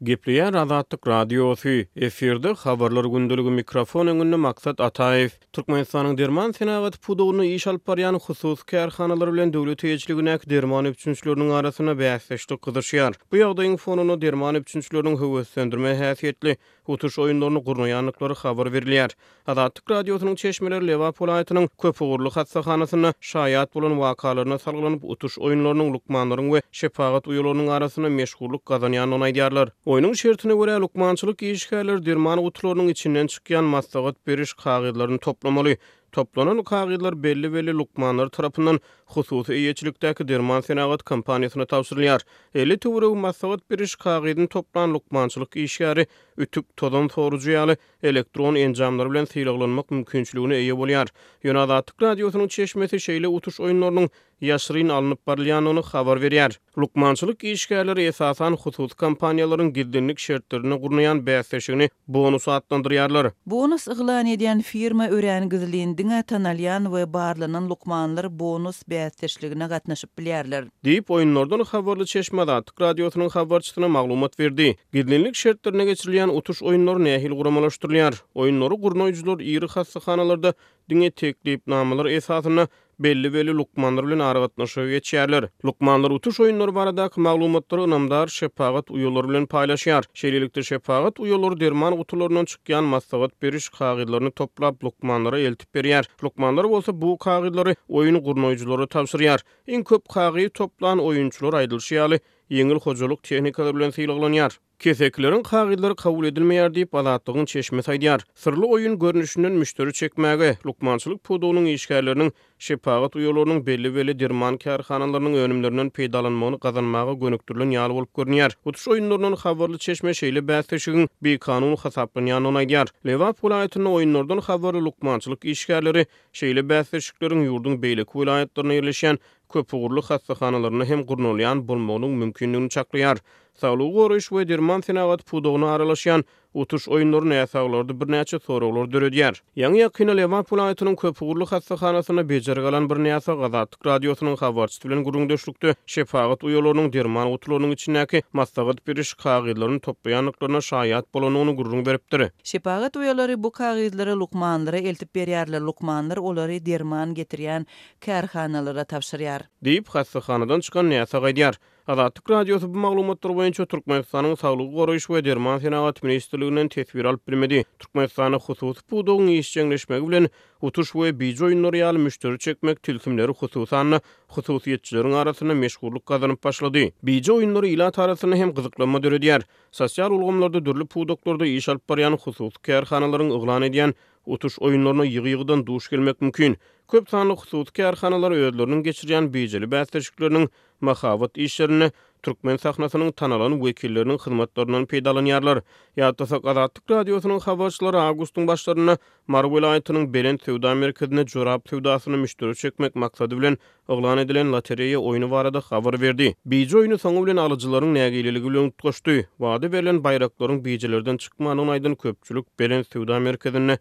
Gepleýär Azatlyk Radiosy, efirde Habarlar gündeligi mikrofon öňünde Maksat Ataýew. Türkmenistanyň derman senagaty pudagynda iş alyp barýan hususy kärhanalar bilen döwlet eýeçiligindäki derman üpjünçileriniň arasynda bäsdeşlik gyzyşýar. Bu ýagdaýyň fonunda derman üpjünçileriniň höweslendirme häsiýetli utuş oýunlaryny gurnaýandyklary habar berilýär. Azatlyk Radiosynyň çeşmeleri Lebap welaýatynyň köpugurly hassahanasynda şaýat bolan wakalaryna salgylanyp, utuş oýunlarynyň lukmanlaryň we şepagat uýalarynyň arasynda meşhurlyk gazanýandygyny aýdýarlar. Oýnuň şertine görä, lukmançylyk işgärleri derman gutularynyň içinden çykýan maslahat beriş kagyzlaryny toplamaly. Toplanan kagyzlar belli-belli lukmanlar tarapyndan hususy eýeçilikdäki derman senagat kompaniýasyna tabşyrylýar. 50 töweregi maslahat beriş kagyzyny toplan lukmançylyk işgäri ütük, tozan sorujy ýaly elektron enjamlary bilen sylaglanmak mümkinçiligine eýe bolýar. Ýöne Azatlyk Radiosynyň çeşmesi şeýle utuş oýunlarynyň ýaşyryn alnyp barylýandygyny habar berýär. Lukmançylyk işgärleri esasan hususy kompaniýalaryň gizlinlik şertlerinde gurnaýan bäsleşigini bonus atlandyrýarlar. Bonus yglan edýän firma örän gizlin, diňe tanalýan we barlanan lukmanlar bonus bäsdeşligine gatnaşyp bilýärler. Diýip, oýunlardan habarly çeşme Azatlyk Radiosynyň habarçysyna maglumat berdi. Gizlinlik şertlerinde geçirilýän utuş oýunlary nähili guramalaşdyrylýar? Oýunlary gurnaýjylar iri hassahanalarda diňe teklipnamalar esasynda belli-belli lukmanlar bilen aragatnaşyga geçýärler. Lukmanlar utuş oýunlary baradaky maglumatlary ynamdar şepagat uýalary bilen paýlaşýar. Şeýlelikde, şepagat uýalary derman gutularyndan çykýan maslahat beriş kagyzlaryny toplap, lukmanlara eltip berýär. Lukmanlar bolsa bu kagyzlary oýun gurnaýjylara tabşyrýar. Iň köp kagyz toplan oýunçylar aýdylyşy ýaly, ýeňil hojalyk tehnikalary bilen sylaglanýar. Kesekileriň kagyzlary kabul edilmeýär diýip, Azatlygyň çeşmesi aýdýar. Syrly oýun görnüşinden müşderi çekmäge, lukmançylyk pudagynyň işgärleriniň, şepagat uýalarynyň belli-belli derman kärhanalarynyň önümlerinden peýdalanmagyny gazanmaga gönükdirilen ýaly bolup görünýär. Utuş oýunlaryndan habarly çeşme şeýle bäsleşigiň bikanun hasaplanýandygyny aýdýar. Lebap welaýatynda oýunlardan habarly lukmançylyk işgärleri şeýle bäsleşikleriň ýurduň beýleki welaýatlarynda ýerleşýän köpugurly hassahanalarynda hem gurnalýan bolmagynyň mümkindigini çaklaýar. Saglygy goraýyş we derman senagaty pudagyna aralaşýan utuş oýunlary näsaglarda birnäçe soraglar döredýär. Ýaňy-ýakynda Lebap welaýatynyň köpugurly hassahanasynda bejergi alan bir näsag Azatlyk Radiosynyň habarçysy bilen gürrüňdeşlikde şepagat uýalarynyň derman gutularynyň içindäki maslahat beriş kagyzlaryny toplaýandyklaryna şaýat bolandygyny gürrüň beripdir. Şepagat uýalary bu kagyzlary lukmanlara eltip berýärler, lukmanlar olary derman getirýän kärhanalara tabşyrýar. Diýip, hassahanadan çykan näsag aýdýar. Azatlyk Radiosy bu maglumatlar boýunça Türkmenistanyň Saglygy goraýyş we derman senagaty ministrliginden teswir alyp bilmedi. Türkmenistanda hususy pudagyň işjeňleşmegi bilen utuş we bije oýunlary ýaly müşderi çekmek tilsimleri hususan-da hususyýetçileriň arasynda meşhurlyk gazanyp başlady. Bije oýunlary ilat arasynda hem gyzyklanma döredýär. Sosial ulgamlarda dürli pudaklarda iş alyp barýan hususy kärhanalaryň yglan edýän utuş oýunlaryna ýygy-ýygydan duş gelmek mümkin. Köp sanly hususy kärhanalar özleriniň geçirýän bijeli bäsleşikleriniň mahabat işlerinde türkmen sahnasynyň tanalan wekilleriniň hyzmatlaryndan peýdalanýarlar. Ýatlasak, Azatlyk Radiosynyň habarçylary awgustyň başlarynda Mary welaýatynyň Belent söwda merkezinde jorap söwdasyna müşderi çekmek maksady bilen yglan edilen lotereýa oýny barada habar berdi. Bije oýny soňy bilen alyjylaryň nägileligi bilen utgaşdy. Wada berlen baýraklaryň bijelerden çykmandygyny aýdan köpçülik Belent söwda merkezinde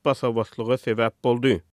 basa-baslyga sebäp boldy.